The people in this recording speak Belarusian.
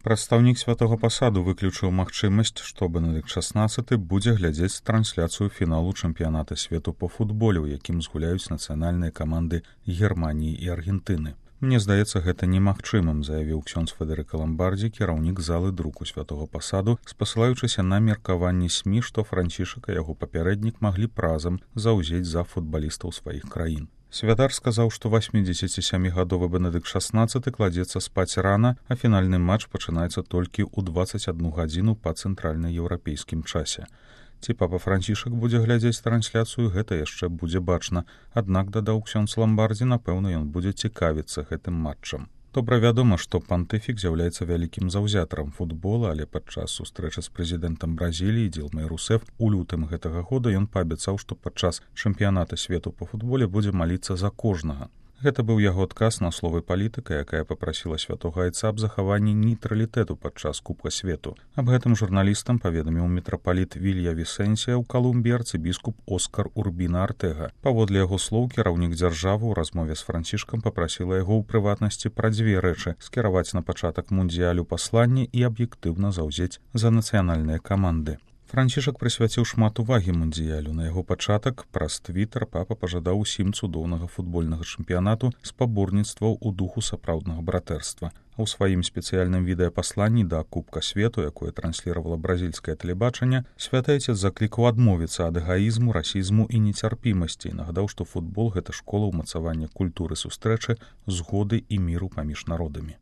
Прадстаўнік святога пасаду выключыў магчымасць, што Бенедыкт XVI будзе глядзець трансляцыю фіналу чэмпіяната свету па футболе, у якім згуляюць нацыянальныя каманды Германіі і Аргентыны. Мне здаецца, гэта немагчымым, заявіў ксёндз Федэрыка Ламбардзі, кіраўнік залы друку святога пасаду, спасылаючыся на меркаванні СМІ, што Францішак і яго папярэднік маглі б разам заўзець за футбалістаў сваіх краін. Святар сказаў, што 87-гадовы Бенедыкт XVI кладзецца спаць рана, а фінальны матч пачынаецца толькі ў 21 гадзіну па цэнтральнаеўрапейскім часе. Ці папа Францішак будзе глядзець трансляцыю, гэта яшчэ будзе бачна. Аднак, дадаў ксёндз Ламбардзі, напэўна, ён будзе цікавіцца гэтым матчам. Добра вядома, што пантыфік з'яўляецца вялікім заўзятарам футбола, але падчас сустрэчы з прэзідэнтам Бразіліі Дилмай Русеф у лютым гэтага года ён паабяцаў, што падчас чэмпіяната свету па футболе будзе маліцца за кожнага. Гэта быў яго адказ на словы палітыка, якая папрасіла святога айца аб захаванні нейтралітэту падчас Кубка свету. Аб гэтым журналістам паведаміў мітрапаліт Вілья Вісэнсія ў Калумбіі арцыбіскуп Оскар Урбіна Артэга. Паводле яго слоў, кіраўнік дзяржавы ў размове з Францішкам папрасіла яго ў прыватнасці пра дзве рэчы: скіраваць на пачатак мундыялю пасланне і аб'ектыўна заўзець за нацыянальныя каманды. Францішак прысвяціў шмат увагі мундыялю. На яго пачатак праз твітар папа пажадаў усім цудоўнага футбольнага чэмпіянату спаборніцтваў у духу сапраўднага братэрства. А ў сваім спецыяльным відэапасланні да Кубка свету, якое трансліравала бразільскае тэлебачанне, святы айцец заклікаў адмовіцца ад эгаізму, расізму і нецярпімасці і нагадаў, што футбол — гэта школа ўмацавання культуры сустрэчы, згоды і міру паміж народамі.